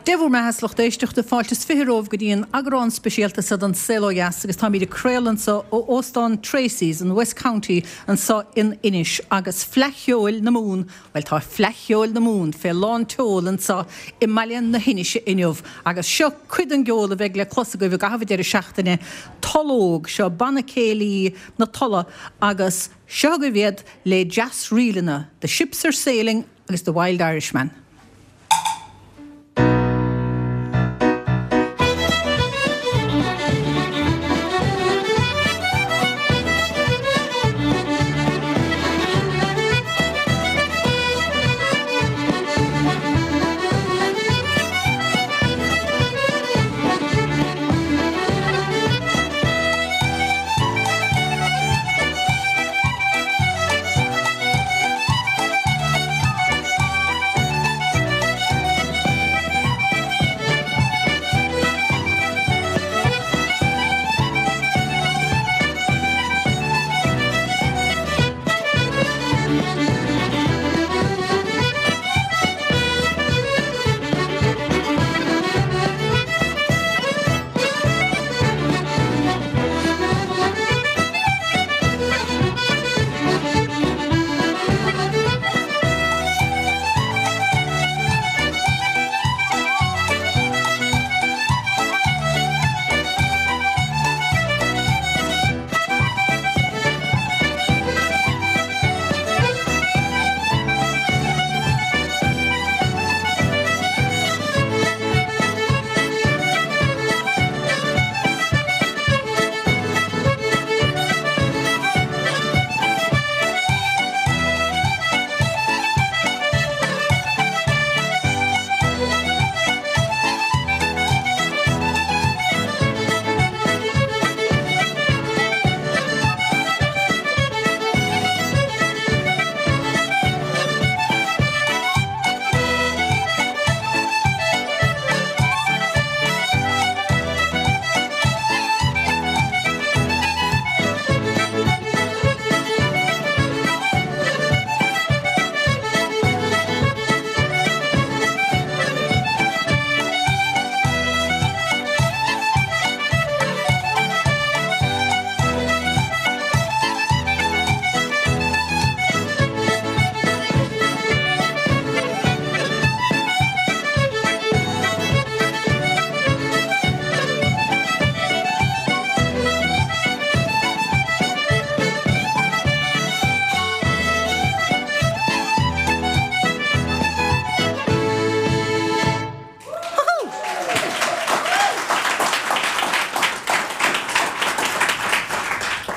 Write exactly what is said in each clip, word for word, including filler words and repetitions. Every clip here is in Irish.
Dé bhur mbeatha a lucht éisteachta fáilte is fiche romhaibh go dtí an eagrán speisialta seo den Saol Ó Dheas agus táimid ag craoladh anseo ó Óstán Tracy's in West County anseo in Inis agus Fleadh Cheoil na Mumhan, bhuel tá Fleadh Cheoil na Mumhan fé lán tseoil anseo i mbaile na hInise inniu agus seo cuid den gceol a bheidh le clos agaibh i gcaitheamh an deireadh seachtaine, Toll Óg, seo banna céilí na Tolla agus seo agaibh iad le deas-ríleanna, The Ships Are Sailing agus The Wild Irishman.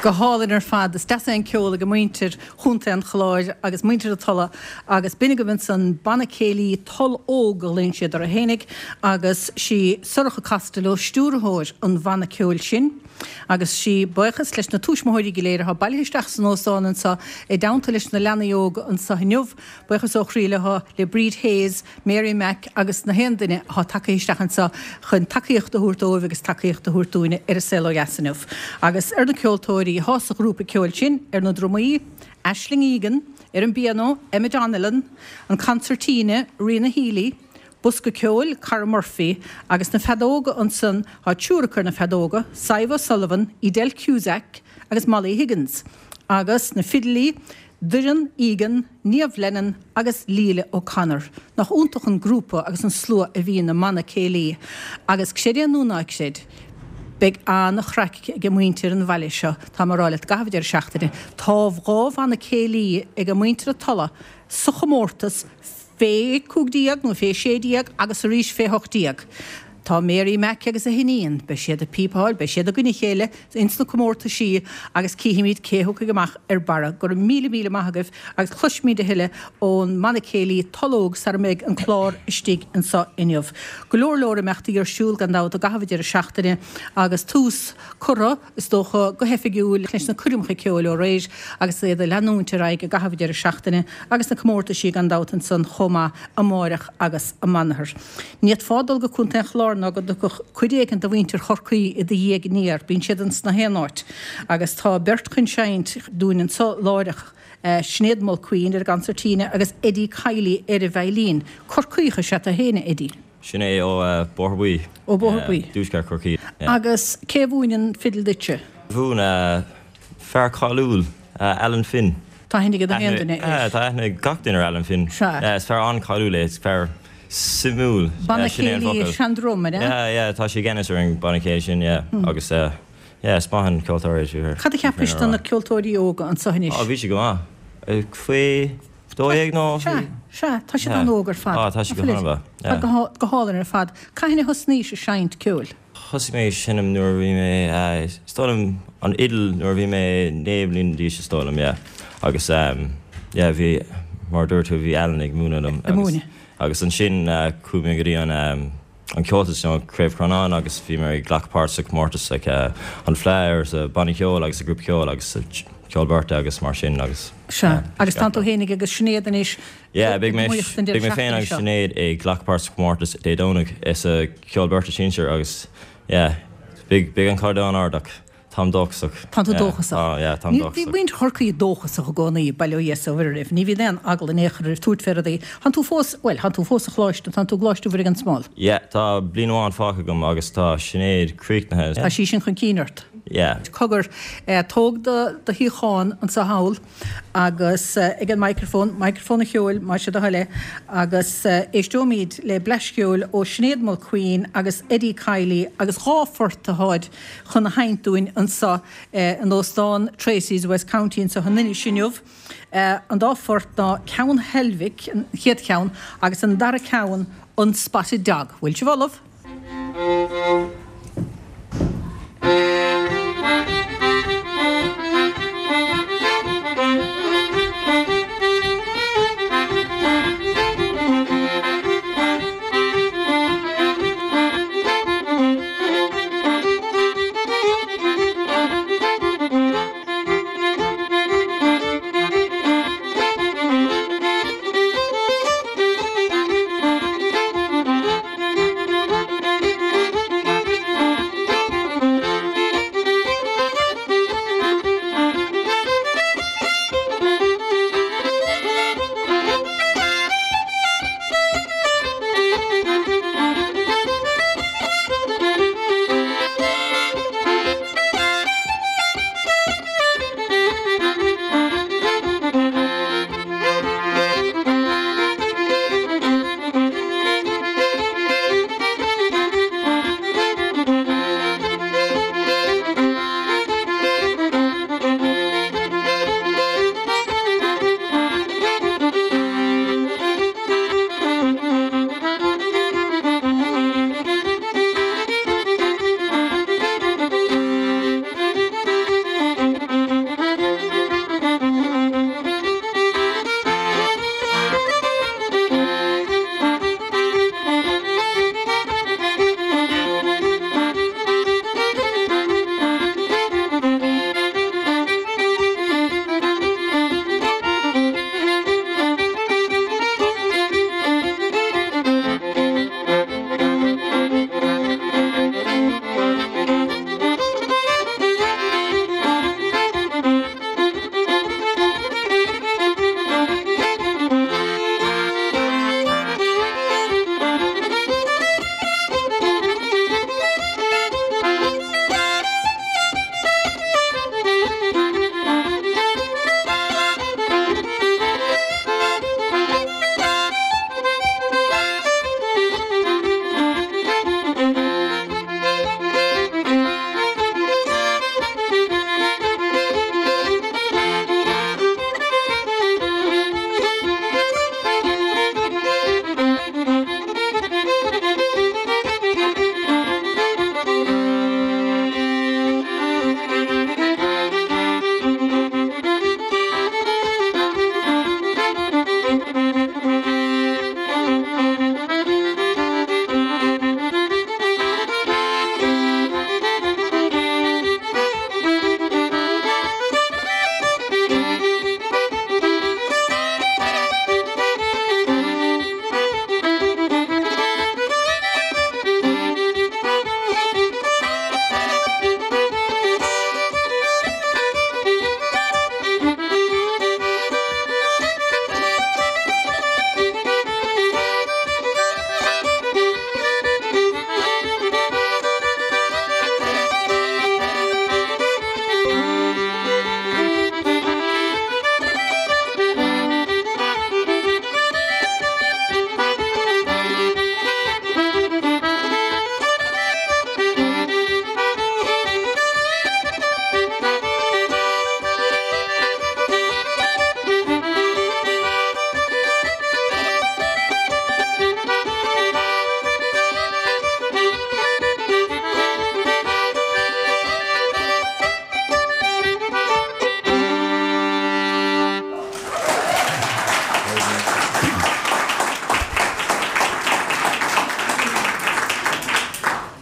Go hálainn ar fad. Is deas é an ceol ag muintir Chontae an Chláir agus muintir na Tolla agus b'in agaibh ansan banna céilí Toll Óg a ghlaonn siad orthu fhéinig agus sí Sorcha Costello stiúrthóir an bhanna ceoil sin agus sí buíochas leis na tuismitheoirí go léir atá bailithe isteach san óstán anseo i dteannta leis na leanaí óga anseo inniu. Buíochas ó chroí leo le Bríd Hayes, Mary Mack agus na haon duine atá tagtha isteach anseo chun tacaíocht a thabhairt dóibh agus tacaíocht a thabhairt dúinne ar an Saol Ó Dheas inniu. Agus ar na ceoltóirí atá sa ghrúpa ceoil sin, ar na drumaí, Aisling Egan, ar an bpianó, Emma Donnellan, an concertina, Ríona Healy, bosca ceoil, Cara Murphy, agus na feadóga ansan, tá triúr acu ar na feadóga, Sadhbh O'Sullivan, Edel Cusack agus Molly Higgins, agus na fidilí, Doireann Egan, Niamh Lennon agus Leila O'Connor. Nach iontach an grúpa agus an slua a bhíonn i mbanna céilí. Agus creid é nó ná creid, beidh an-chraic ag muintir an bhaile seo, tá mé ag rá leat, i gcaitheamh an deireadh seachtaine. Tá dhá bhanna céilí ag muintir na Tolla sa chomórtas fé cúig déag nó fé sé déag agus arís fé hocht déag. Tá Mary Mack agus a hiníon, beidh siad ag píopáil, beidh siad i gcoinne a chéile ins na comórtaisí agus cífimid cé thiocfaidh amach ar barra. Go raibh míle míle maith agaibh agus cloisfimid a thuilleadh ón mbanna céilí Toll Óg sara mbeidh an clár istigh anseo inniu. Go leor leor imeachtaí ar siúl gan dabht i gcaitheamh an deireadh seachtaine agus tús curtha, is dócha, go hoifigiúil leis na coirmeacha ceoil ó aréir agus iad ag leanúint ar aghaidh i gcaitheamh an deireadh seachtaine agus na comórtaisí gan dabht ansan chomh maith amáireach agus amanathar. Ní fhéadfá dul go Contae an Chláir ná go dtiocfadh cuid éigin de mhuintir Chorcaí i do dhiaidh aniar, bíonn siad ins na haon áit. Agus tá beirt chun seinnt dúinn anso láithreach, Sinéad Mulqueen ar an gconsairtíne agus Eddie Kiely ar an veidhlín. Corcaíoch is ea tú féin, a Eddie. Sin é ó Bóthar Buí. Ó Bóthar Buí. Tuaisceart Chorcaí. Agus cé a mhúin an fidil duitse? Mhúin fear cáiliúil Alan Finn. Tá aithne ag aon duine air. Tá aithne ag gach duine ar Alan Finn. Is fear an-cháiliúil é, is fear suimiúil. Banna Céilí Shandrum, an ea? Yeah, yeah, tá sé i gceannas ar an banna céilí sin, yeah. Agus yeah, is maith an ceoltóir é. Cad a cheapais de na ceoltóirí óga anseo anois? Á, bhí sé go maith. Faoi dó dhéag nó? Sea, sea, tá siad an-óg ar fad. Á, tá siad go han-mhaith. Tá go hálainn ar fad. Cathain a thosnaís ag seinnt ceoil? Thosaigh mé ag seinm nuair a bhí mé, is dóigh liom, an fhidil nuair a bhí mé naoi mbliana d'aois is dóigh liom, yeah. Agus yeah, bhí, mar a dúirt tú, bhí Alan ag múineadh liom. Ag múineadh. Agus ansin chuaigh mé go dtí an an Comhaltas, you know, Craobh Chrónáin agus bhí mé ag glacadh páirt sa chomórtas like an Fleadh sa banna ceoil agus sa grúpa ceoil agus sa ceol beirte agus mar sin agus. Sea, agus tánn tú fhéinig agus Sinéad anois. Yeah, beidh mé beidh mé féin agus Sinéad ag glacadh páirt sa chomórtas Dé Domhnaigh sa cheol beirte sinsir agus yeah, beidh beidh an caighdeán ard ach táim dóchasach. Tá tú dóchasach. Tá, yeah, táim dóchasach. Bhí muintir Chorcaí dóchasach i gcónaí, bail ó Dhia is ó Mhuire oraibh. Ní bhíonn aon eagla in aon chor oraibh tabhairt fé rudaí. Tánn tú fós, bhuel, tánn tú fós sa choláiste, tánn tú i gColáiste Mhuire gan Smál. Yeah, tá bliain amháin fágtha agam agus tá Sinéad críochnaithe. Tá sí sin chun cinn ort. Yeah. Cogar, tóg do do shuíochán anso thall agus ag an microphone, microphone an cheoil, más é do thoil é, agus éisteoimid le bleaist cheoil ó Sinéad Mulqueen agus Eddie Kiely agus dhá phort atáid chun a sheinnt dúinn anso in Óstán Tracey's West County anso in Inis inniu. An dá phort ná Ceann Heilbhic, an chéad cheann, agus an dara ceann, an Spotted Dog. Bhfuil sibh ullamh?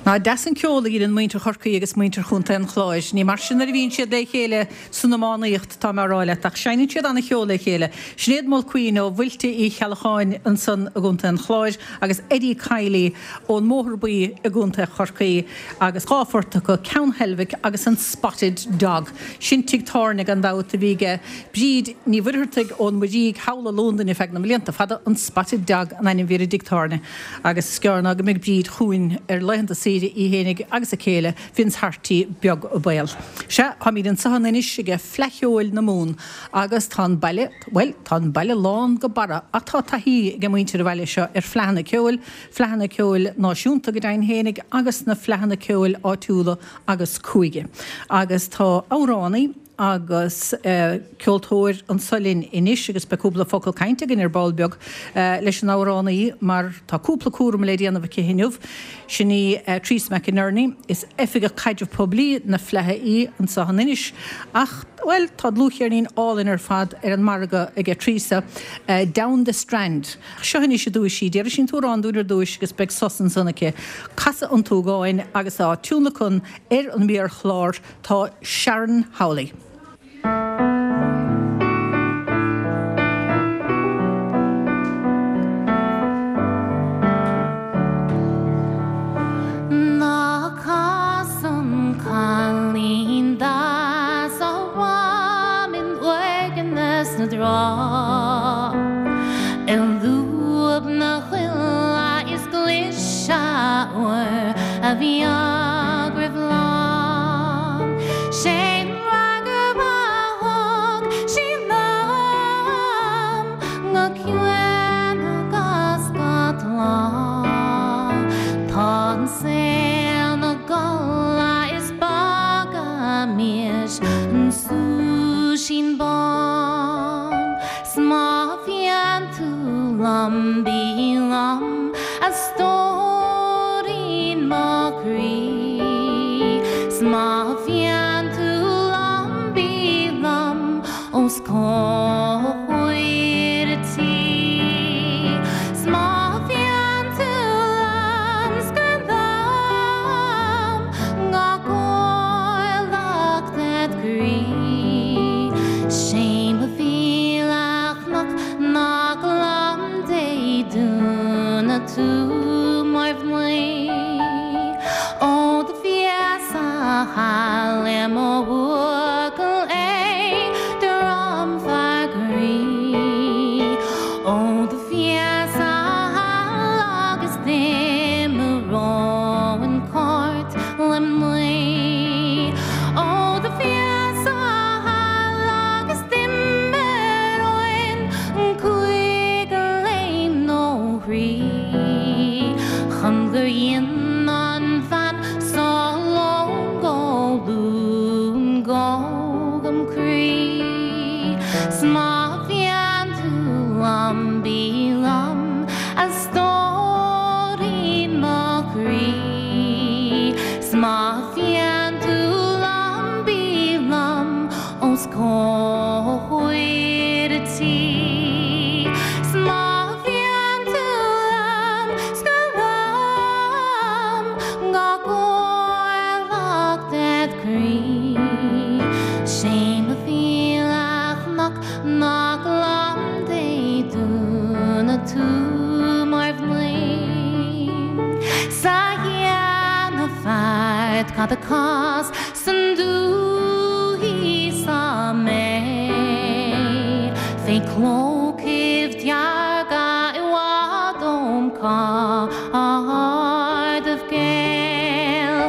Ná deas an ceol a dhéanann muintir Chorcaí agus muintir Chontae an Chláir. Ní mar sin a bhíonn siad le chéile san iománaíocht tá mé ag rá leat, ach seinneann siad an-cheol le chéile. Sinéad Mulqueen ó Mhuilte Uí Cheallacháin ansan i gContae an Chláir agus Eddie Kiely ón mBóthar Buí i gContae Chorcaí agus dhá phort acu Ceann Heilbhic agus an Spotted Dog. Sin tigh tábhairne gan dabht a bhí aige Bríd Ní Mhuircheartaigh ón Muirígh thall i Londain ar feadh na mblianta fada an Spotted Dog an ainm a bhí ar an dtigh tábhairne agus is gearr ná go mbeidh Bríd chugainn ar laethanta saoire í fhéinig agus a céile Vince Harty beag an baol. Sea, táimid anseo in Inis ag Fleadh Cheoil na Mumhan agus tá an baile, bhuel, tá an baile lán go barra ach tá taithí ag muintir an bhaile seo ar fleadhanna ceoil, fleadhanna ceoil náisiúnta go deimhin fhéinig agus na fleadhanna ceoil áitiúla agus cúige. Agus tá amhránaí agus uh, ceoltóir anseo linn anois agus beidh cúpla focal cainte againn ar ball beag uh, leis an amhránaí mar tá cúpla cúram le déanamh aici inniu. Sin í uh, Teresa McInerney is oifigeach caidreamh poiblí na Fleidhe í anseo in Inis ach well tá dlúthcheirnín álainn ar fad ar an margadh ag Teresa uh, Down the Strand. Seo anois i dtús í déarfaidh sí an t-amhrán dúinn ar dtús agus beidh sos ansan aici. Casadh an tSúgáin agus á tionlacan ar an méarchlár tá Sharon Howley. Ná cas an cailín deas agam in uaigneas na dtrá. I lúb na coille is cliseadh uair a bhí roimh lán. Sé freagra a thug sí liom go ciúin agus go tláth. Tá an saol 'na gcodladh is fágaimis an súisín bán. 'S má bhíonn tú liom bí liom a stóirín mo chroí. 'S má bhíonn tú liom bí liom os comhair an tí. 'S má bhíonn tú liom scar liom gach orlach ded chroí. Sé mo mhíle cnoc nach liom Dé dúnadh tú mar mhnaoi. Ó do bhíos thall i mo bhuachaill é dromfhear groí. Ó do bhíos thall agus d'imreoinn cairt le mnaoi. Ó do bhíos thall agus d'imreoinn cúig léim nó thrí. Chun gur dhein an bhean sa lón go lún gom croí. 'S má bhíonn tú liom bí liom a stóirín mo chroí. 'S má bhíonn tú liom bí liom os comhair an tí. 'S má bhíonn tú liom scar liom gach orlach ded chroí. Sé mo mhíle cnoc nach liom Dé dúnadh tú mar mhnaoi. Sa dhéanamh feart cad a cás san dúthaigh sa mé. Fé chlócaibh dearga i bhfad óm chairdeibh gael.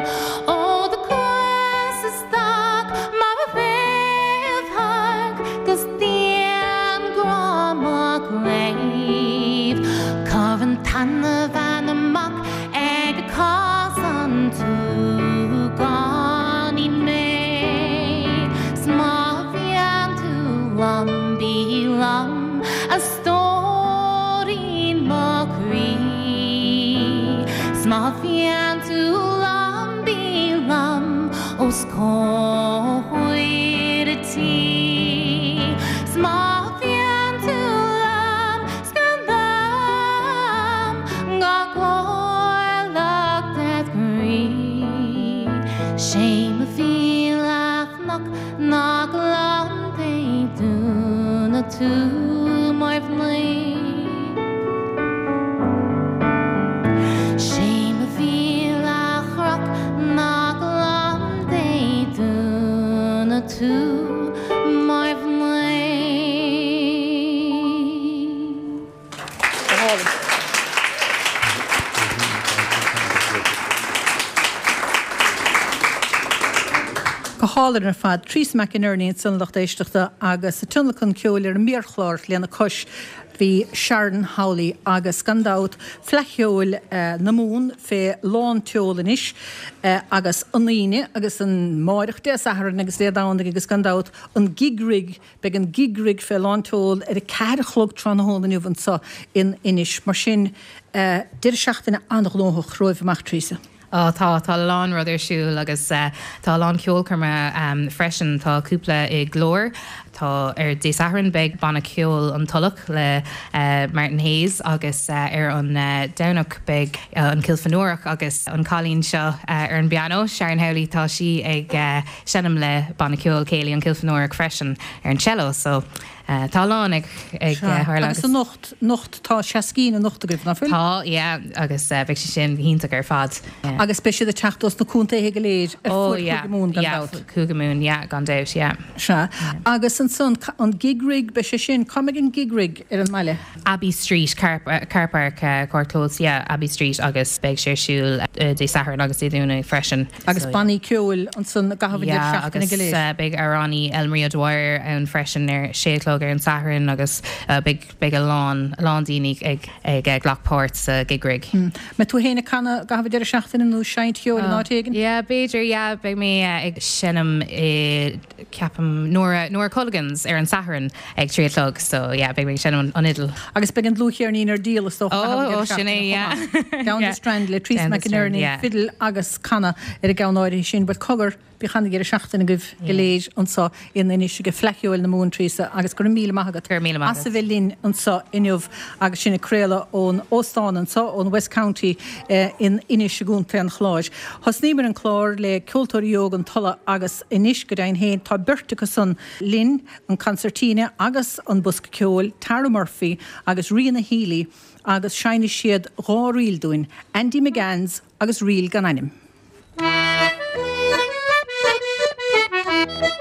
Ó do chuas isteach mar a réamhthairc 'gus dianghrá mo chléibh. Cuir an tseanbhean amach ag casadh an tsúgáinín mé. 'S má bhíonn tú liom bí liom a stóirín mo chroí. 'S má bhíonn tú liom bí liom os comhair an tí. 'S má bhíonn tú liom scar liom gach orlach ded chroí. tú mar mhnaoi. Sé mo mhíle chroch nach liom Dé dúnadh tú mar mhnaoi. Go hálainn. Go hálainn ar fad Treasa McInerney ansan lucht éisteachta agus sa tionlacan ceoil ar an méarchlár lena cois bhí Sharon Howley agus gan dabht Fleadh Cheoil eh, na Mumhan fé lán tseoil anois eh, agus an Aoine agus amárach Dé Sathairn agus Dé Domhnaigh agus gan dabht an Gig Rig beidh an Gig Rig fé lán tseoil ar a ceathair a chlog tráthnóna inniu anseo in Inis mar sin eh, deireadh seachtaine an-ghnóthach romhaibh amach Treasa. Ó tá tá lán rud ar siúl agus uh, tá lán ceolchoirme um, freisin tá cúpla i nGlór tá ar Dé Sathairn beidh banna ceoil an Tulach le uh, Martin Hayes agus uh, ar an uh, Domhnach beidh uh, an Kilfenórach agus an cailín seo uh, ar an bpianó Sharon Howley tá sí ag uh, seinm le banna ceoil céilí an Kilfenórach freisin ar an cello so uh, tá lán ag ag uh, tharla Agus anocht anocht tá seascín anocht agaibh nach bhfuil? Tá yeah, agus uh, beidh sé sin iontach ar fad. Yeah. Agus beidh siad ag teacht as na contaetha go léir ar Oh fud yeah, Chúige Mumhan gan yeah, dabht. Cúige Mumhan, yeah, gan dabht, yeah. Sea. Agus ansan an Gig Rig beidh sé sin cá mbeidh an Gig Rig ar an mbaile. Abbey Street car, uh, car park uh, Corclós yeah, Abbey Street agus beidh sé ar siúl uh, Dé Sathairn agus Dé Domhnaigh freisin. Agus So, bannaí ceoil ansan gach yeah, seachtaine agus go léir. uh, beidh amhránaí Elmarie O'Dwyer ann freisin ar sé a chlog ar an Satharn agus uh, beidh beidh a lán a lán daoine ag ag uh, glacadh páirt sa Gig Rig. Mbeidh tú féin ag canadh gach deireadh seachtaine nó seinnt cheoil in áit éigin? Yeah, b'fhéidir yeah, beidh mé uh, ag seinm i ceapaim Nora Nora Culligan's ar an Satharn ag trí a chlog, so yeah, beidh mé ag seinm an, an fhidil. Agus beidh an dlúthcheirnín ar díol is dócha Oh, oh, sin é, yeah. Down Yeah. the Strand le Treasa Down the Strand, McInerney yeah. fidil agus canadh ar an gceann áirithe sin, but cogar bí chan gur seachtain goh go léir anseo in Inis ag Fleadh Cheoil na Mumhan Treasa agus gur míle maith agat Go raibh míle maith As a bheith linn anseo inniu agus sin ag craoladh ón óstán anseo ón West County eh, in Inis i gContae an Chláir. Thosnaíomar an clár le Ceoltóirí Óga an Tulaigh agus anois go deimhin féin tá beirt acu san linn an concertina agus an bosca ceoil Tara Murphy agus Ríona Healy agus seinnfidh siad dhá ríl dúinn, Andy McGanns agus Ríl gan ainm. Thank you.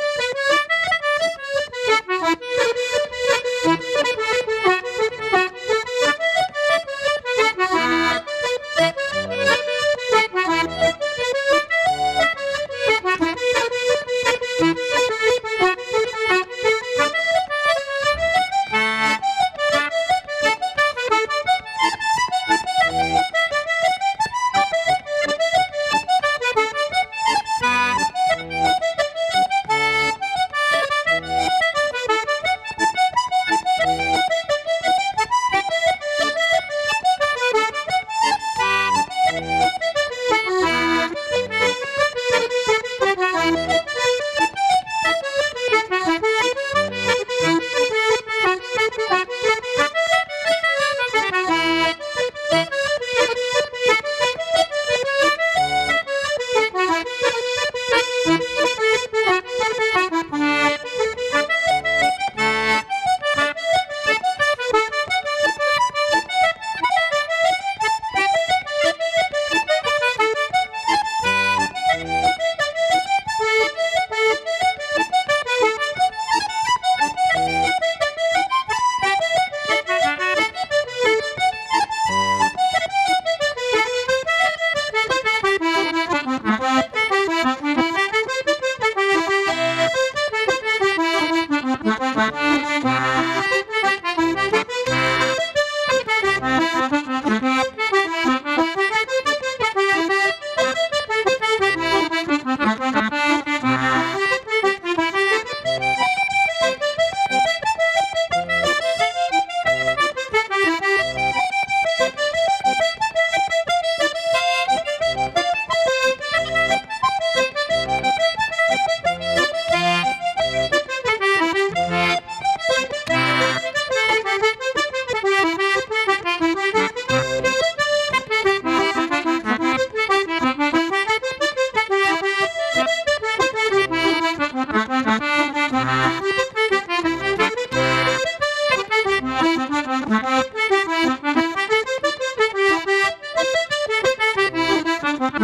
Go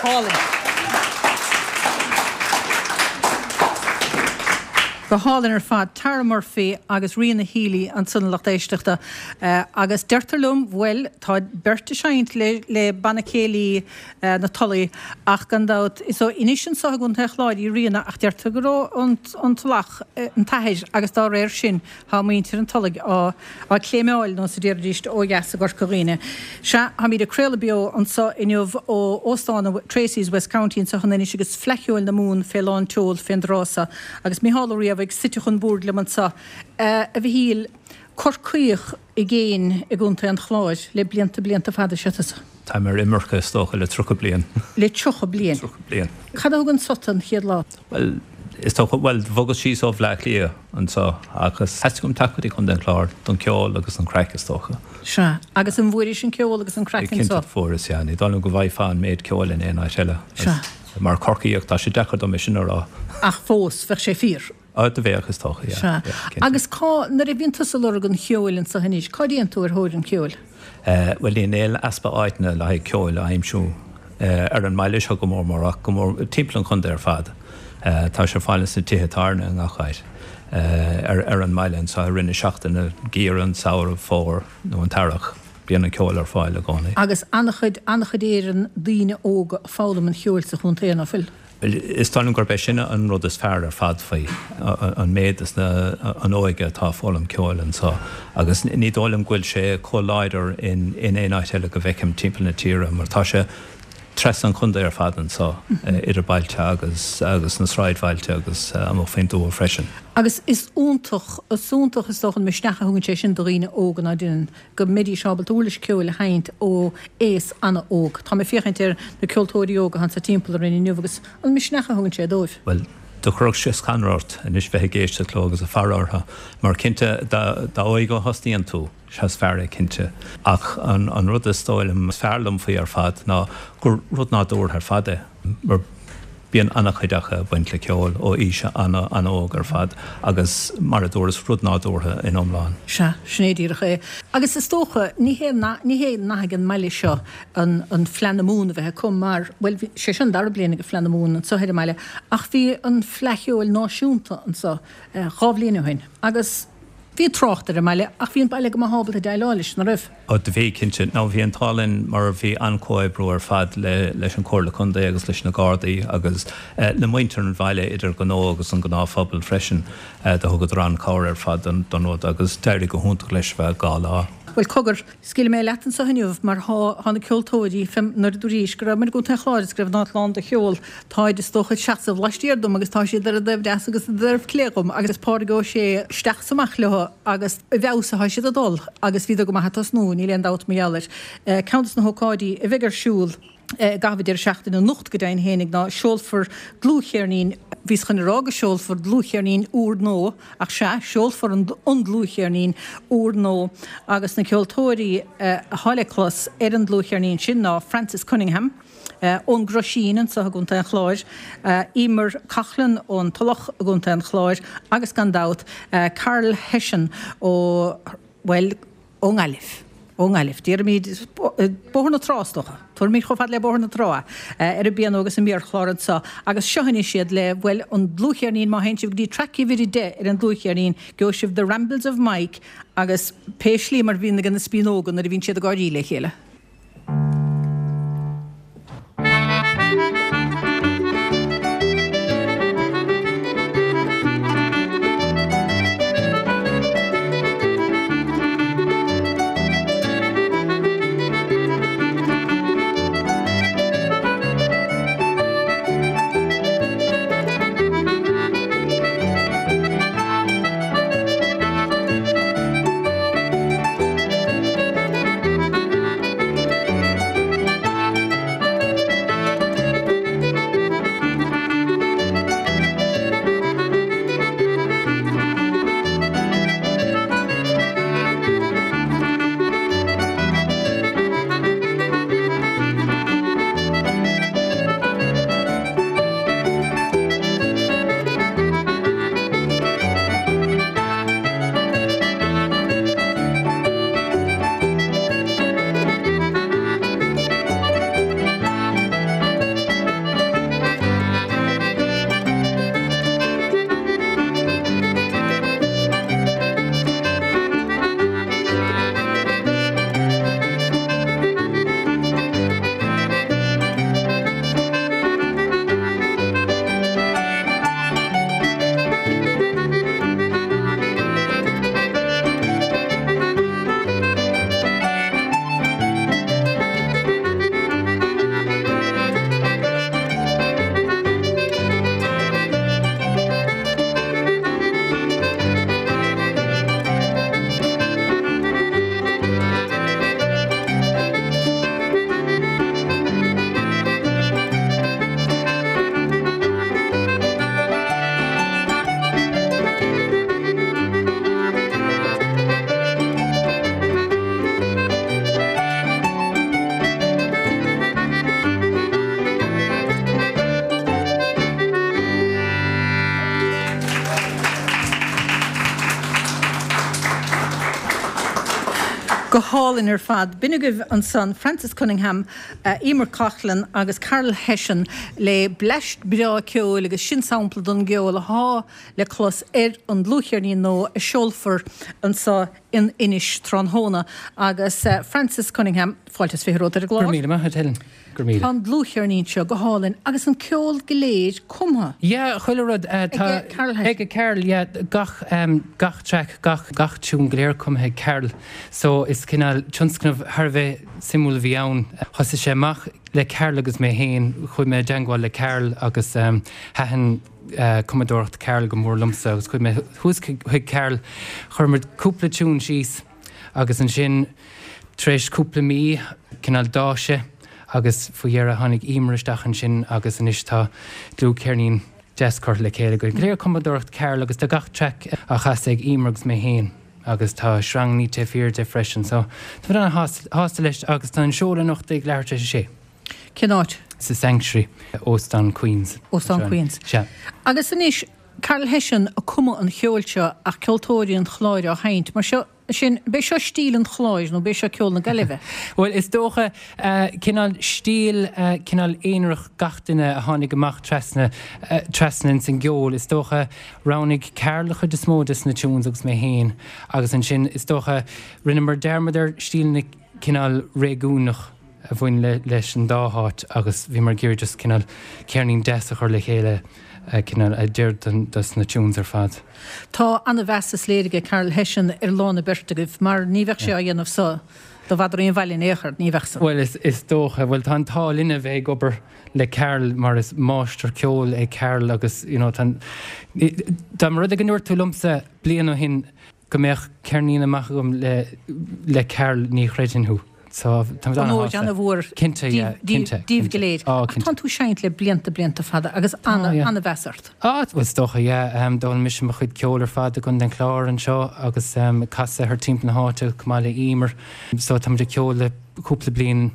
hálainn. Go hálainn ar fad Tara Murphy agus Ríona Healy ansan lucht éisteachta agus deirtear liom bhuel tá beirt ag seinnt le le banna céilí na Tulaí ach gan dabht is ó Inis anseo i gContae an Chláir í Ríona ach deirtear gur ó an Tulach an t-athair agus dá réir sin tá muintir an Tulaigh á á claimeáil nó sa déarfaidís ó dheas i gCorca Dhuibhne. Sea, táimid ag craoladh beo anseo inniu ó Óstán Tracy's West County anseo in Inis agus Fleadh Cheoil na Mumhan fé lán tseoil fén dtráth seo agus Mícheál Ó Riabhaigh suite chun boird liom anseo. A Mhichíl, Corcaíoch i gcéin i gContae an Chláir le blianta blianta fada is ea tusa. Táim ar imirce is dócha le tríocha bliain. Le tríocha bliain? Tríocha bliain. Cad a thug an sota an chéad lá? Bhuel, is dócha, bhuel, bhogas síos ó Bhleá Cliath anseo agus theastaigh uaim teacht go dtí Contae an Chláir don cheol agus an craic is dócha. Sea, agus an bhfuairis an ceol agus an craic anseo? Cinnte fuaireas, yeah. Ní dóigh liom go bhfaighfeá an méid ceoil in aon áit eile. Sea. Mar Chorcaíoch, tá sé deacair dom é sin a rá. Ach fós, bheadh sé fíor. Á, do bheadh, is dócha, yeah. Sea. Yeah, cinnte. Agus cá, nuair a bhíonn tusa ag lorg an cheoil anseo anois, cá dtéann tú ar thóir an cheoil? Eh, bhuel, níl aon easpa áiteanna le haghaidh ceoil a aimsiú eh, ar an mbaile seo go mór mór ach go mór timpeall an chontae ar fad. Eh, tá sé ar fáil sna tithe tábhairne i ngach áit eh, ar, ar an mbaile anseo i rith na seachtaine, geimhreadh, an samhradh, fómhar nó an t-earrach. Bíonn an ceol ar fáil i gcónaí. Agus an-chuid, an-chuid Éireann daoine óga ag foghlaim an cheoil sa chontae, ná fuil? Is dóigh liom gurb é sin an rud is fearr ar fad faoi, an méid is na, an óige atá ag foghlaim ceoil anseo. Agus ní dóigh liom go bhfuil sé chomh láidir in, in aon áit eile go bhfeicim timpeall na tíre, mar tá sé trasna an chontae ar fad anseo, idir bailte agus, agus na sráidbhailte agus amuigh faoin dtuath freisin. Agus is iontach, is iontach is dócha an misneach a thugann sé sin do dhaoine óga ná deineann, go mbeidís ábalta uirlis ceoil a sheinnt ó aos an-óg. Tá mé ag féachaint ar na ceoltóirí óga atá anso timpeall orainn inniu agus an misneach a thugann sé dóibh. Bhuel, do chuirfeadh sé scanradh ort anois bheith ag éisteacht leo agus ag faire orthu, mar cinnte dá, dá óige a thosnaíonn tú, sea is fearr é cinnte. Ach an, an rud is dóigh liom is fearr liom faoi ar fad ná gur rud nádúrtha ar fad é, mar Bíonn an-chuid acu ag baint le ceol ó aois an-óg ar fad agus, mar a dúras, rud nádúrtha in iomlán. Sea, sin é díreach é. Agus is dócha, ní hé ní hé nath ag an mbaile seo an an Fleadh na Mumhan a bheith acu mar, bhuel, bhí sé seo an dara bliain ag Fleadh na Mumhan anseo ar an mbaile ach bhí an Fleadh Cheoil Náisiúnta anseo dhá bhliain ó shin agus bhí trácht ar an mbaile ach bhí an baile go maith ábalta déileáil leis, ná raibh? Ó do bhí, cinnte. Nó bhí an t-ádh linn mar bhí an-chomhoibriú ar fad le leis an Chomhairle Contae agus leis na Gardaí agus le muintir an bhaile idir gnó agus an gnáthphobal freisin. Do thugadar an-chabhair ar fad don don rud agus d'éirigh go hiontach leis ar feadh dhá lá. Bhuel, cogar, scaoilfidh mé leat anseo inniu mar thá thá na ceoltóirí fé nuair a dúraís go rabhamair i gContae an Chláir is go raibh an áit lán de cheol, táid is dócha ag seasamh laistiar dom agus tá siad ar an dtaobh deas agus an taobh clé dhom agus Pádraig Ó Sé isteach is amach leo agus i bhfeabhas atá siad ag dul agus bhíodar go maith ag tosnú, níl aon dabht mar gheall air. Ceann des na hócáidí a bheidh ar siúl i gcaitheamh an deireadh seachtaine anocht go deimhin fhéinig ná seolfar dlúthcheirnín, bhíos chun a rá go seolfar dlúthcheirnín úr nua ach sea, seolfar an dlúthcheirnín úr nua agus na ceoltóirí atá le clos ar an dlúthcheirnín sin ná Francis Cunningham ón gCroisín anseo i gContae an Chláir, Emer Coughlan ón Tulach i gContae an Chláir agus gan dabht Karl Hession ó, bhuel, ón nGaillimh. Ón nGaillimh. Déarfaimid Bóthar na Trá, is dócha. Tabharfaimid chomh fada le Bóthar na Trá é, ar an bpianó agus an méarchlár anseo. Agus seo anois iad le, bhuel, an dlúthcheirnín, má théann sibh go dtí traic uimhir a deich ar an dlúthcheirnín, gheobhaidh sibh The Rambles of Mike agus pé slí mar a bhíonn ag na spíonóga nuair a bhíonn siad ag gáirí le chéile. Go hálainn ar fad. B'in agaibh ansan Francis Cunningham, uh, Emer Coughlan agus Carol Hession le bleaist breá ceoil agus sin sampla don gceol atá le clos ar an dlúthcheirnín nua a seolfar anseo in Inis tráthnóna agus uh, Francis Cunningham fáilte is fiche romhat ar an Gur gclár. míle maith Helen. Gur míle. Tá an dlúthcheirnín seo go hálainn agus an ceol go léir cumtha. Yeah, chuile rud uh, tá Ag Carol Hession. ag Carol yeah, gach um, gach track gach gach tune go léir cumtha ag Carol so is cineál tionscnamh thar a bheith suimiúil a bhí ann thosaigh sé amach le Carol agus mé féin chuaigh mé i dteagmháil le Carol agus um, thaitin uh, cumadóireacht Carol go mór liomsa agus chuaigh mé thuas chuig Carol chuir muid cúpla tune síos agus ansin tar éis cúpla mí cineál d'fhás sé agus faoi dheireadh tháinig Emer isteach ansin agus anois tá dlúthcheirnín deas curtha le chéile go léir cumadóireacht Carol agus tá gach track á chasadh ag Emer agus mé féin agus tá sreang taobh thiar de freisin so tá an-shásta leis agus tá an seoladh anocht ag leathuair tar éis a sé. Cén áit? Sa Sanctuary Óstán Queens. Óstán Queens. Sea. Agus anois Carol Hession a chum an ceol seo ach ceoltóirí an Chláir á sheinnt, mar seo sin b'é seo stíl an Chláir nó b'é seo ceol na Gaillimhe. Well is dócha uh, cineál stíl uh, cineál aonarach gach duine a tháinig amach trasna uh, trasna in san gceol is dócha roghnaigh Carol chuid is mó des na tunes agus mé féin agus ansin is dócha rinneamar dearmad ar stíl na cineál réigiúnach a bhain le, leis an dá háit agus bhíomar ag iarraidh just cineál ceirnín deas a chur le chéile uh, cineál a d'oir dos na tunes ar fad. Tá an-mheas is léir ag Carol Hession ar lán na beirt agaibh mar ní bheadh sé á dhéanamh so do bhfadar aon bhaile in aon chor ní bheadh san. Well is, is dócha, well tá an t-ádh linn a bheith ag obair le Carol mar is máistir ceoil é Carol agus you know, tá dá mba rud é go ndúirt tú liomsa bliain ó shin go mbeadh ceirnín amach agam le, le Carol ní chreidfinn thú. So tá An an-mhór Cinnte, yeah, cinnte, díobh cinnte. go léir. Á, Ach cinnte. Tá tú seinnte le blianta blianta fada agus Tá, yeah. an-mheas ort. Á well is dócha yeah, um, d'fhoghlaim mise mo chuid ceoil ar fad i gContae an Chláir anseo agus um, casadh thar timpeall na háite chomh maith le Emer. So tá ag ceol le cúpla bliain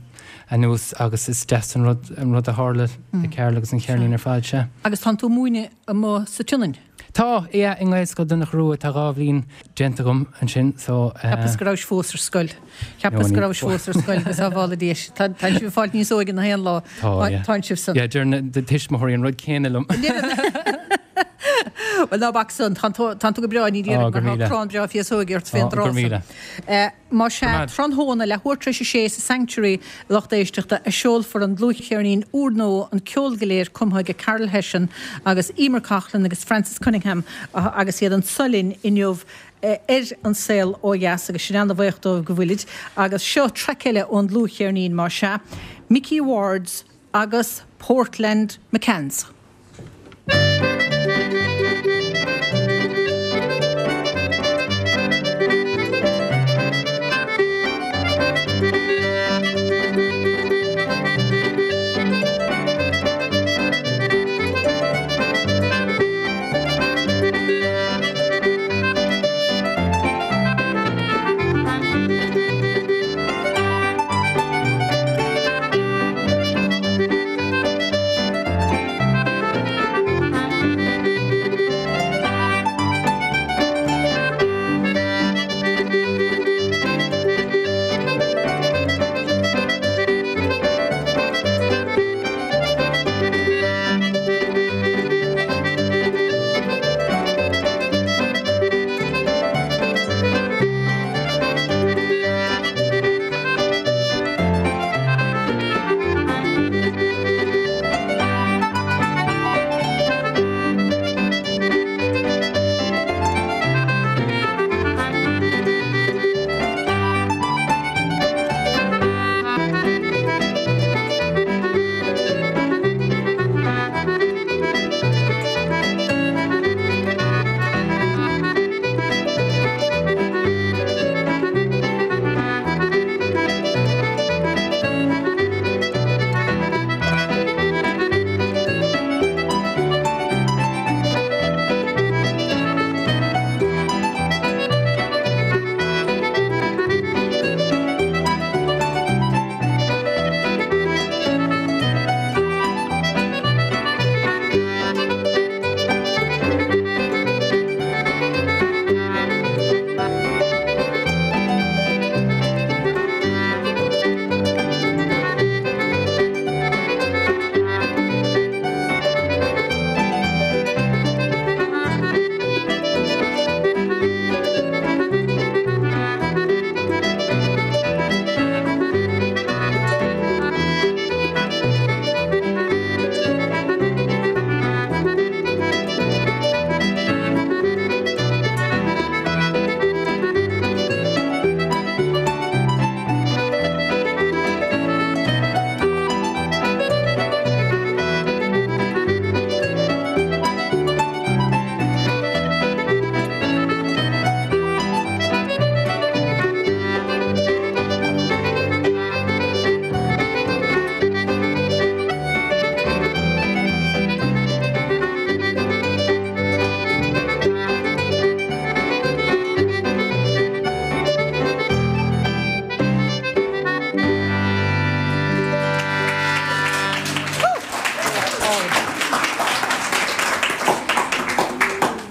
anuas agus is deas an rud an rud a tharla le Carol agus an cheirnín ar fad sé. Agus tá tú múineadh amuigh sa tSionainn. Tá é i nGaelscoil Donncha Rua tá dhá bhliain déanta agam ansin so Cheapas go raibh fós ar scoil. Cheapas No, go ní- raibh fós ar scoil agus sábhála díis. Tá sibh fáil níos óige na haon lá Tá, yeah. tá sibh san. Yeah, deir na tuismitheoirí an rud céanna liom. Well ná bac san tá tú go breá ní Á, go míle. crann breá féasóige ort féin Á, go míle. Má sé Go mad. tráthnóna leathuair tar éis a sé sa Sanctuary lucht éisteachta a seolfar an dlúthcheirnín úrnua an ceol go léir cumtha ag Carol Hession agus Emer Coughlan agus Francis Cunningham uh, agus iad anseo linn inniu eh, ar an saol ó dheas agus sin an-bhuíoch dóibh go bhfuilid agus seo traic eile ón dlúthcheirnín mar se Mickey Wards agus Portland McCanns. Thank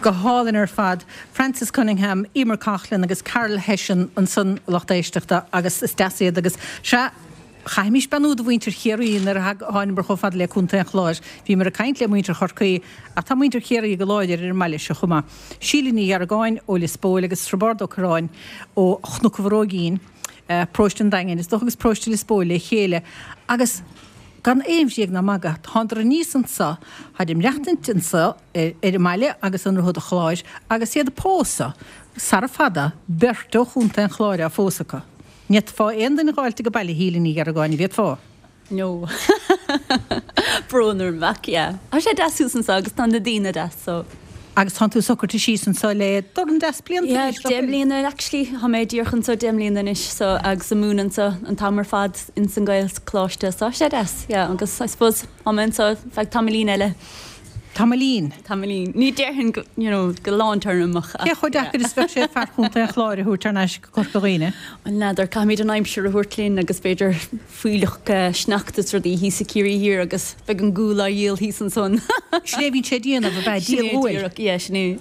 Go hálainn ar fad Francis Cunningham, Emer Coughlan agus Carol Hession ansan lucht éisteachta agus is deas iad agus sea caithfimis beannú do mhuintir Chiarraí nuair a thángamar chomh fada le Contae an Chláir. Bhíomar ag caint le muintir Chorcaí ach tá muintir Chiarraí go láidir ar an mbaile seo chomh maith. Síle Ní Gheargáin ó Lios Póil agus Roibeárd Ó Corráin ó Chnoc an Bhróigín, Paróiste an Daingin, is dócha agus Paróiste Lios Póil le chéile agus gan aon bhréag ná magadh, thánadar aníos anso, tháid ag maireachtaint anso ar an mbaile agus i nDroichead a' Chláir agus iad ag pósadh sara fada, beirt ó Chontae an Chláir á phósadh acu. Ní fhéadfá aon duine a dh'fháilt age baile, a Shíle Ní Gheargáin, an bhféadfá? No. Brón orm ach yeah. Tá sé deas thuas anso agus tá na daoine deas so. Agus tánn tú socraithe síos anso le dorn deas blianta Yeah, anois, nach deich bhfuil? mbliana actually. Tá mé díreach anso deich mbliana anois so agus ag múineadh anso an t-am ar fad ins an Gaelcholáiste so tá sé deas yeah agus I suppose tá mé anso feadh tamaillín eile. Tamaillín? Tamaillín. Ní déarfainn go, you know, go lántéarmach Cé chomh deacair is bheadh sé fear Chontae an Chláir a thabhairt thar n-ais go Corca Dhuibhne? Bhuel, n'fheadar, caithfimid an aimsir a thabhairt linn agus b'fhéidir fuílleach sneachta is rudaí thíos i Ciarraí Thiar agus beidh an gual á dhíol thíos ansan. Sin é a bhíonn sé ag déanamh, ab ea? Díol Sin é guail? díreach, yeah, sin é.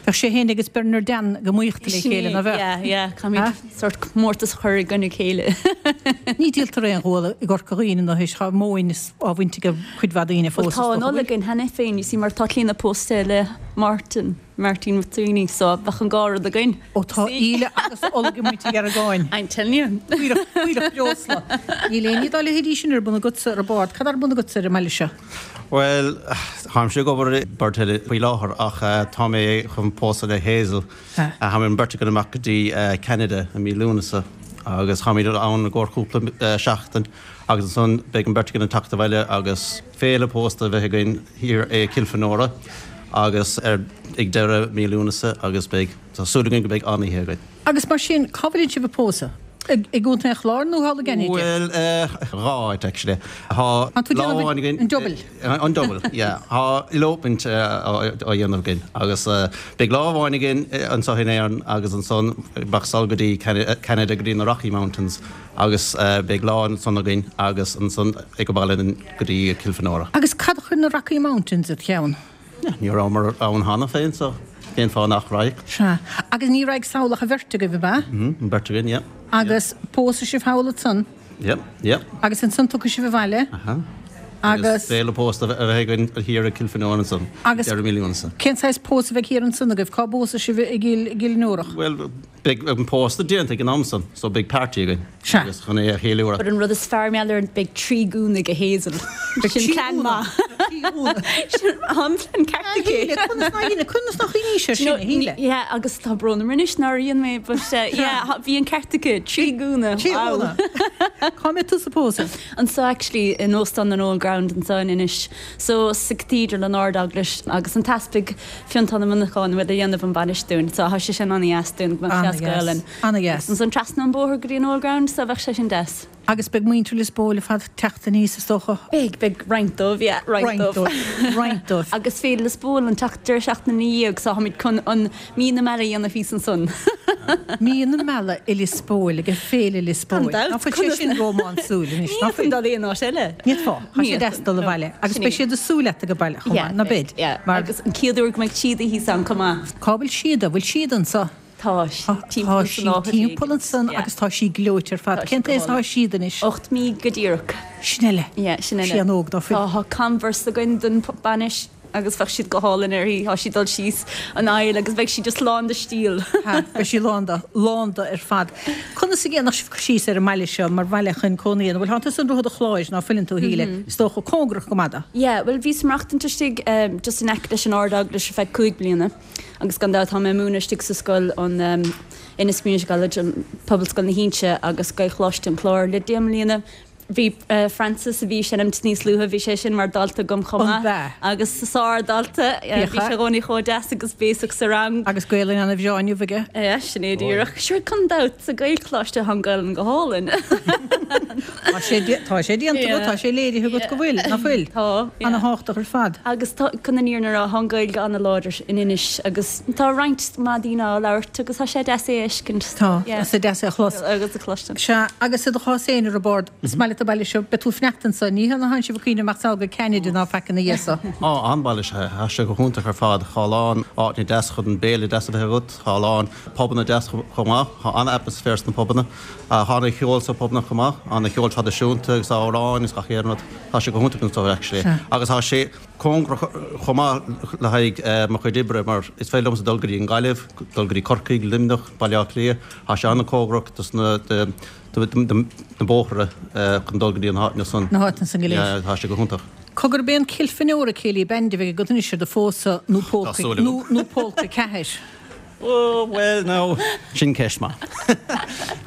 Bheadh sé féin agus Bernard Dan go maochta le Sin chéile, é, ná bheadh? yeah, yeah, caithfimid sórt comórtas a chur i gcoinne a chéile. Ní díoltar aon ghual i gCorca Dhuibhne nó théis, tá móin á bhaint ag cuid mhaith daoine Bhuel fós, is tá an dócha, ola bhfuil? againn cheana féin, you see, mar tá Clíona pósta le Martin, Martin McSweeney, so bheadh an dhá rud againn. Ó tá íle agus ola ag muintir Gheargáin. I'm telling you. Fuílleach, fuílleach breosla. Níl aon ní dá leithéidí sin ar bun agatsa ar bord. Cad ar bun agatsa ar an mbaile seo? Bhuel, táimse ag obair i Bord faoi láthair ach tá mé chun pósadh le Hazel. Táimid an bheirt againn amach go dtí Canada i mí Lúnasa agus táimid ann i gcomhair cúpla seachtain agus ansan beidh an bheirt againn ag teacht abhaile agus féile pósta a bheith againn thiar i Kilfenora agus ar ag deireadh mí Lúnasa agus beidh tá súil againn go mbeidh an-oíche againn. Agus mar sin, cá bhfuil sibh ag pósadh? I gContae an Chláir nó thall i gCanada? Bhuel, dhá áit actually. Tá An tú lá déanamh amháin againn an double? An double, yeah. Tá elopement á dhéanamh againn agus beidh lá amháin againn anseo in Éirinn agus ansan beidh sall go dtí Canada go dtí na Rocky Mountains agus beidh lá ansan againn agus ansan ag baile go dtí Kilfenora. Agus cad a chuir na Rocky Mountains id cheann? Ní rabhamar ann cheana féin so cén fáth nach raghadh? Sea. Agus ní raghadh sall ach an bheirt agaibh, ab ea? Mhm, an bheirt againn, yeah. Agus pósfaidh sibh thall ansan? Yeah, yeah. Agus ansan tiocfaidh sibh abhaile? Aha. Agus Féile pósta a bheith againn thiar i Kilfenora ansan. Agus deireadh mí Lúnasa. Cén saghas pósadh a bheidh thiar ansan agaibh? Cá bpósfaidh sibh i gCill Fhionnúrach? Bhuel, beidh an pósta déanta ag an am san, so beidh party againn. Sea. Agus chun é a cheiliúradh. But an rud is fearr mar gheall air beidh trí ghúna ag Hazel. Sin plean maith. Sin an plean ceart aici. Conas ná dhéine, conas nach cuimhní sé sin, a Shíle? Yeah, agus tá brón orm anois nár dhein mé, but uh, yeah, bhí an ceart aici, trí ghúna. Trí ghúna. Cá mbeidh tusa ag pósadh? Anso actually in Óstán an Old Ground anso in Inis. So sa Cathedral an Ard-Eaglais agus an tEaspag Fionntán Ó Monacháin a bheidh ag déanamh an bhainis dúinn, so tá sé sin an-dheas dúinn go mbeadh sé as Gaelainn. An-dheas. Ansan trasna an bóthar go dtí an Old Ground, so bheadh sé sin deas. Agus beidh muintir Lios Póil ar fad ag teacht aníos is dócha? Beidh, beidh roinnt dóibh, yeah, roinnt Roinnt dóibh. dóibh, roinnt dóibh. Agus Féile Lios Póil an tseacht deireadh seachtaine ina dhiaidh, so táimid chun an mí na meala a dhéanamh thíos ansan. Mí na meala i Lios Póil ag Féile Lios Póil. Gan dabht, Ná fuil sé conas sin rómánsúil anois, Ní ná fhéadfainn fuil? dul aon áit eile. Ní fhéadfá, tá Ní sé deas dul fhéadfainn, abhaile. no, Agus sin beidh é. siad ag súil leat ag baile chomh Yeah, maith, ná beidh? yeah. Mar Agus an chéad uair go mbeidh siad thíos ann chomh maith. Cá bhfuil Síoda? Bhfuil Síoda anso? Tá sí Tá timpeall sí san áit timpeall ansan yeah. agus tá sí gleoite ar fad. Tá sí Cén go t-aois atá hálainn. Síoda anois? Ocht mí go díreach. Sin eile. Yeah, sin eile. Sí an-óg ná fuil. Tá Converse againn don bainis agus bheadh siad go hálainn uirthi, tá sí dul síos an aill agus bheidh sí just lán de stíl. Ha, beidh sí lán de, lán de ar fad. Conas a dhéanfadh sibh síos ar an mbaile seo mar bhaile chun cónaí ann? Bhuel, tá tusa i nDroichead an Chláir ná fuileann tú a Shíle. Mhm. Is dócha cóngarach go maith dó. Yeah, well bhíos ag maireachtaint istigh um, just in aice leis an Ard-Eaglais ar feadh cúig bliana agus gan dabht tá mé ag múineadh istigh sa scoil an um, Ennis Community College an Pobalscoil na hInse agus Gaelcholáiste an Chláir le deich mbliana. Bhí uh, Francis a bhí sin am níos luaithe bhí sé sin mar dalta agam chomh An maith b'ea? agus sár-dhalta uh, bhí sé i gcónaí chomh deas agus béasach sa rang. Agus Gaelainn an-bhreá inniu aige? Yeah, sin é díreach. Sure gan dabht sa Gaelcholáiste tá an Ghaelainn go hálainn. Tá sé dé- tá sé déanta agat, tá sé léirithe agat go bhfuil, ná fuil? Tá. An-thábhachtach ar fad. Agus tá chun an fhírinne a rá tá an Ghaeilge an-láidir in Inis agus tá roinnt maith daoine á labhairt agus tá sé deas é a fheiscint. Tá, tá sé deas é a chlos. Agus a chloisteáil. Sea, agus i do chás féin ar bord, is maith leat leat an baile seo, beidh tú ag fanacht anseo, ní hé nach sibh ag cuimhneamh amach sall go Ceanada ná faic ina dhiaidh so. Á, an-bhaile is ea é. Tá sé go hiontach ar fad. Tá a lán áiteanna deas chun béile deas a bheith agat, tá a lán pubanna deas chomh maith, tá an-atmaisféar sna pubanna. Tá an-cheol sna pubanna chomh maith, an-cheol traidisiúnta agus amhráin agus gach aon rud. Tá sé go hiontach anseo actually. Agus tá sé cóngarach chomh maith le haghaidh mo chuid oibre mar is féidir liomsa dul go dtí an Ghaillimh, dul go dtí Corcaigh, Luimneach, Baile Átha Cliath. Tá sé an-chóngarach dos na na bóithre chun dul go dtí an háiteanna san. Na háiteanna san go léir. Tá sé go hiontach. Cogar ab é an Kilfenora Céilí Band a bheidh agat anois ar do phósadh nó Tá súil agam. nó Polka ceathair? Oh, well, no, sin ceist maith.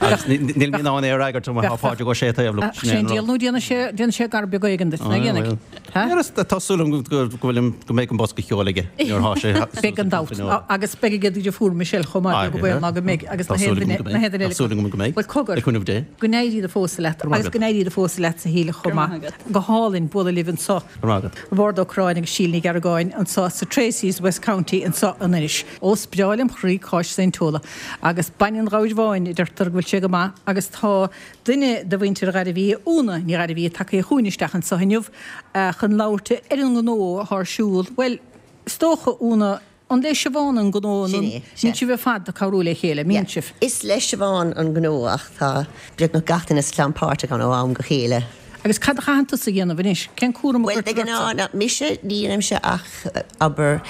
Agus níl mé in ann é a fhreagairt má tá Pádraig Ó Sé taobh liom. Ach sé an diabhal nó déanfaidh sé déanfaidh sé gar beag éigin duit, nach ndéanfaidh? Ha? Tá súil agam go go bhfuil go mbeidh an bosca ceoil aige nuair atá sé Beidh gan dabht. Agus beidh aige do dheirfiúr Michelle chomh maith, beag an baol ná go mbeidh agus na haon duine na haon duine Tá eile. súil agam go mbeidh. Bhuel cogar. Le cúnamh Dé. Go n-éirí do phósadh leat Go raibh agus maith go agat. n-éirí do phósadh leat sa shaol chomh Go raibh maith. maith agat. Go hálainn bualadh libh anseo. Go raibh maith agat. Roibeárd Ó Corráin agus Síle Ní Ghearragáin anseo sa Tracey's West County anseo in Inis. Ó is breá lem chroí cáis Saint Tola agus bainne an ghabhair bháin a deirtear go bhfuil sé go maith agus tá duine de mhuintir Ghairbhí, Úna Ní Ghairbhí, tagtha chugainn isteach anseo inniu chun labhairt ar an ngnó atá ar siúl. Bhuel, is dócha, Úna, an le Siobhán an gnó nó Sin é, sea. mbíonn sibh ar fad ag cabhrú le chéile, mbíonn sibh? Is le Siobhán an gnó ach tá beagnach gach duine sa chlann páirteach ann ó am go chéile. Agus cad a chaitheann tusa a dhéanamh anois? Cén cúram a Bhuel, de chuirtear ortsa? ghnáth, ná mise, ní dhéanaimse ach obair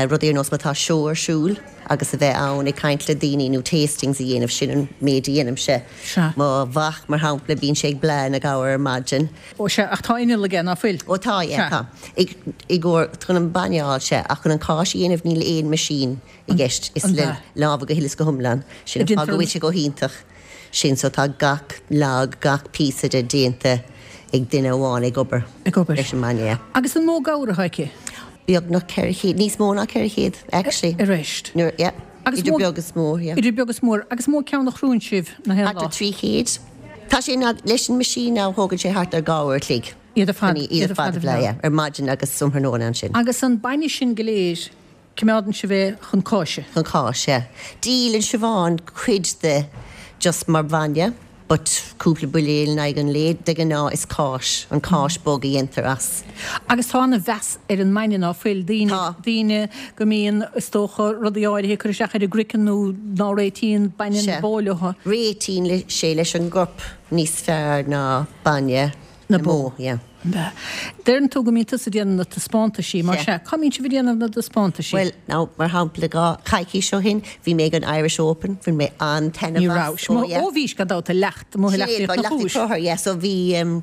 rudaí ar nós má tá seó ar siúl agus a bheith ann ag caint le daoine nó tastings a dhéanamh, sin an méid a dhéanaimse. Sea. Mo mhac, mar shampla, bíonn sé ag bleá na gabhar ar maidin. Ó sea, ach tá inneall aige, ná fuil? Ó tá, yeah, Sea. tá. I, i gcomhair, chun an bainne a fháil, sea, ach chun an cáis a dhéanamh níl aon machine i gceist, is An le ea? lámha go huile is go hiomlán. Sin an fáth go bhfuil sé go hiontach. Sin so tá gach log, gach píosa de déanta ag duine amháin ag obair. Ag obair. Leis an mbainne, yeah. Agus an mó gabhar atá aici? Beagnach ceithre chéad, níos mó ná ceithre chéad, actually. Arís. Nuair, yeah. Agus Idir mó- beag is mór, yeah. Idir beag is mór. Agus mó ceann a chrúann sibh na haon Thart ar lá? trí chéad. Tá sé ná, leis an machine now thógann sé thart ar dhá uair a chloig. Iad ar fad, Iad ar fad a bhleá, yeah. Ar maidin agus um thráthnóna ansin. Agus an bainne sin go léir, coimeádann sibh é chun cáise? Chun cáis, yeah. Díolann Siobhán cuid de just mar bhainne, but cúpla buidéal in aghaidh an lae, de ghnáth is cáis, an cáis bog a dhéantar as. Agus tá an-mheas ar an mbainne ná fuil daoine, Tá. daoine go mbíonn is dócha rudaí áirithe ag cur isteach ar a gcraiceann nó ná réitíonn bainne na Sea. bó leo. Réitíonn le, sé leis an gcorp níos fearr ná bainne Na na bó. bó, yeah. Deireann tú go mbíonn tusa ag déanamh na taispeántaisí, mar Sea. sea, cá mbíonn sibh ag déanamh na dtaispeántaisí? Well, now, mar shampla dhá coicís ó shin, bhí mé ag an Irish Open, bhí mé an-taitneamh Ní as. raibh. Oh, yeah. Ó bhís gan dabht i leacht, amuigh i Sin é, leacht na leacht chúis. Crothar, yeah, so bhí um,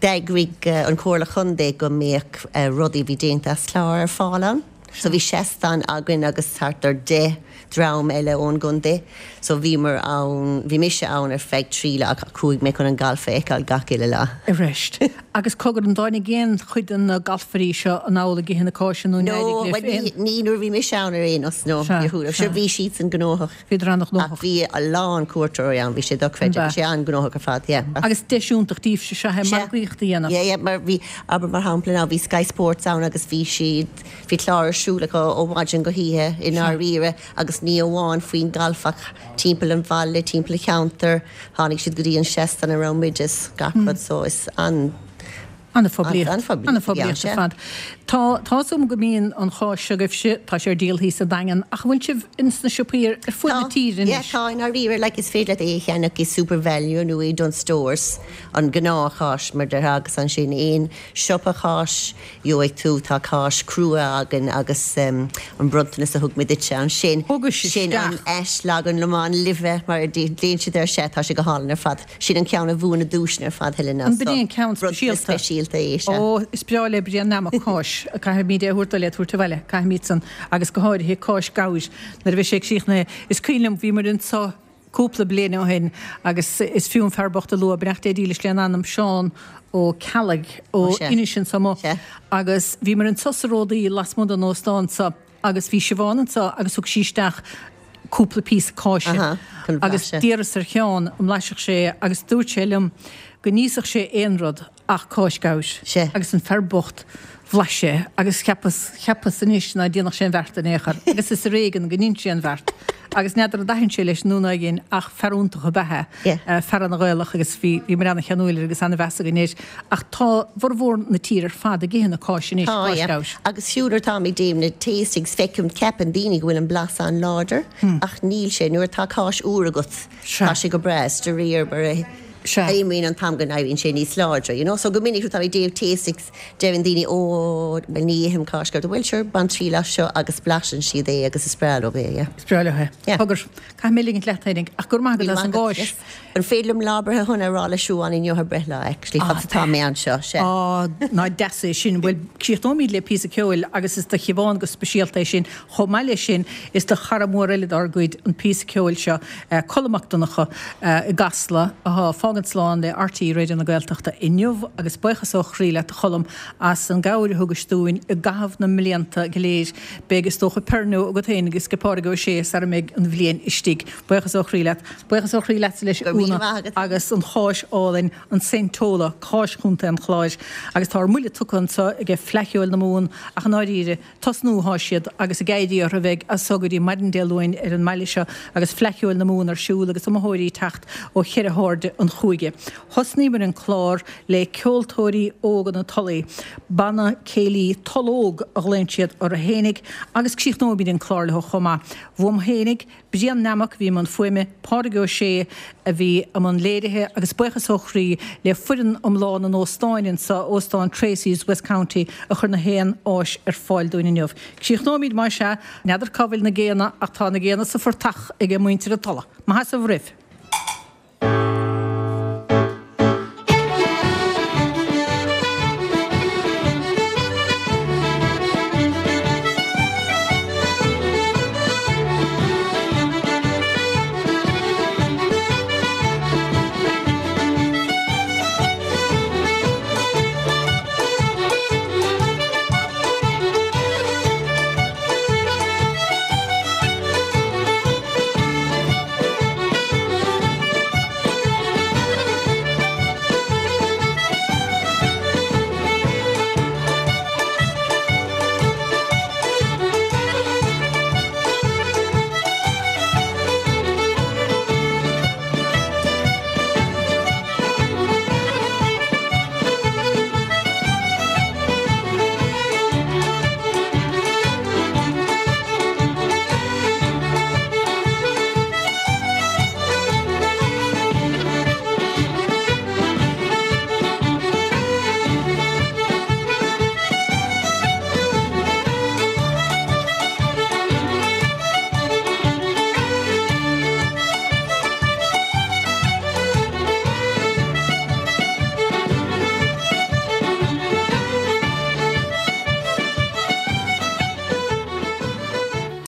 d'eagraigh uh, an Comhairle Chontae go mbeadh uh, rudaí bhí déanta as clár ar fáil ann. So bhí seastán againn agus thart ar deich dream eile ón gcontae. So bhíomar ann, bhí mise ann ar feadh trí lá ach chuaigh mé chun an galf a fheiceáil gach uile lá. Arís. Agus cogar an dtáinig aon chuid de na galfairí seo anall ag ithe na cáise nó No, n-éirigh well, libh ní, aon- ní nuair bhí mise ann ar aon nós, no. Sea, Níor chuala. sea. Sure, bhí siad san gnóthach. Bhíodar an-ghnóthach. Ach bhí a lán cuairteoirí ann, bhí sé dochreidte, An bhí sé an-ghnóthach ar fad, yeah. Agus deis iontach daoibhse sea Sea. margaíocht a dhéanamh. Yeah, yeah, mar bhí aber mar shampla ná bhí Sky Sports ann agus bhí siad bhí clár ar siúl acu ó mhaidin go hoíche i ndáiríre agus ní amháin faoin galf ach timpeall an bhaile, timpeall an cheantair, tháinig siad go dtí an seastán a raibh muid is gach rud so is an An-phoiblíocht. An-phoiblíocht, An-phoiblíocht yeah, ar fad. Tá tá súm go mbíonn an cháis agaibhse, tá sé ar díol thíos sa Daingean, ach bhfuil sibh ins na siopaí ar ar fud na tíre Yeah, anois? tá i ndáiríre, like is féidir leat é a cheannach i SuperValu nó i Dunnes Stores an gnáthcháis mar déarfá agus ansin aon siopa cháis gheobhaidh tú tá cáis crua againn agus um, an bronntanas a thug mé duitse ansin. Thugais Sin an isteach. eislagan lomán live mar déon siad ar sé tá sé go hálainn ar fad. Sin an ceann a bhuaigh na duaiseanna ar fad Helena. An b'in é an ceann bronntanas speisialta? speisialta é sé. Ó, is breá le Brian Namach cáis, caithfimid é a thabhairt le tabhairt abhaile, caithfimid san agus go háirithe cáis gabhair nuair a bhí sé ag críochnú. Is cuimhin liom bhíomar anseo cúpla bliain ó shin agus is fiú an fear bocht a lua beannacht Dé dílis lena anam Seán Ó Ceallaigh ó Ó, sea. Inis anso amuigh. Sea. Agus bhíomar anseo sa Ródaí lasmuigh den óstán seo agus bhí Siobhán anseo agus thug sí isteach cúpla píosa cáise. Aha, chun Agus blaiseadh. d'iarras ar Sheán an mblaisfeadh sé agus dúirt sé liom go n-íosfadh sé aon rud ach cáis gabhair. Sea. Agus an fear bocht bhlais sé agus cheapas cheapas anois ná déanfadh sé an bheart in aon chor. Agus is ar éigean go ndein sé an bheart Agus n'fheadar an dtaitníonn sé leis nó ná dhein ach fear iontach ab ea é, fear ana-Ghaelach agus bhí bhí muid ana-cheanúil air agus ana-mheas againn air. Ach tá formhór na tíre ar fad ag ithe na cáise anois, Tá, cáis yeah. gabhais. Agus fiú nuair atá mé ag déanamh na tastings feicim ceapann daoine go bhfuil an blas an-láidir ach níl sé nuair atá cáis úr agat tá sé go breá is de réir mar a imíonn an t-am go n-éiríonn sé níos láidre, you know? So go minic nuair atá mé ag déanamh tastings deireann daoine ó bhuel ní ithim cáis gabhais, bhuel sure bain triail as seo agus blaiseann siad é agus is breá leo é, yeah. Is breá leo é. Cogar, caithfidh mé ligint leat féinig ach go raibh maith agat as an gcáis. An féidir liom lá breithe shona a rá le Siobhán inniu ar breithlá actually fad atá mé anseo, sea. Á, ná deas é sin, bhuel críochnóimid le píosa ceoil agus is do Shiobhán go speisialta é sin, chomh maith leis sin is do chara mór eile dár gcuid an píosa ceoil seo, Colm Mac Donncha i gCasla atá ag fágaint slán le RTÉ Raidió na Gaeltachta inniu agus buíochas ó chroí leat a Cholm as an gcabhair a thugais dúinn i gcaitheamh na mblianta go léir. Beidh is dócha peirniú agat féin agus ag Pádraig Ó Sé sara mbeidh an bhliain istigh. Buíochas ó chroí leat. Buíochas ó chroí leatsa leis Go raibh míle Úna maith agat. agus an cháis álainn an Saintola, cáis Chontae an Chláir agus tá ár mbuille tugtha anseo ag Fleadh Cheoil na Mumhan ach i ndáiríre tosnú atá siad agus ag éirí orthu bheidh as so go dtí maidin Dé Luain ar an mbaile seo agus Fleadh Cheoil na Mumhan ar siúl agus iomaitheoirí ag teacht ó cheithre hairde an chúige. Thosnaíomar an clár le ceoltóirí óga na Tulaí, banna céilí Tulóg a ghlaonn siad orthu fhéinig agus críochnóimid an clár leo chomh maith. Uaim fhéinig, Brian Nammock bhí i mbun fuaime, Pádraig Ó Sé a bhí i mbun léirithe agus buíochas ó chroí le foireann iomlán an óstáin anseo, Óstán Tracy's West County a chuir na haon áis ar fáil dúinn inniu. Críochnóimid mar sea, n'fheadar cá bhfuil na géanna ach tá na géanna sa phortach ag muintir an Tulaigh. Maith as a bhroimh.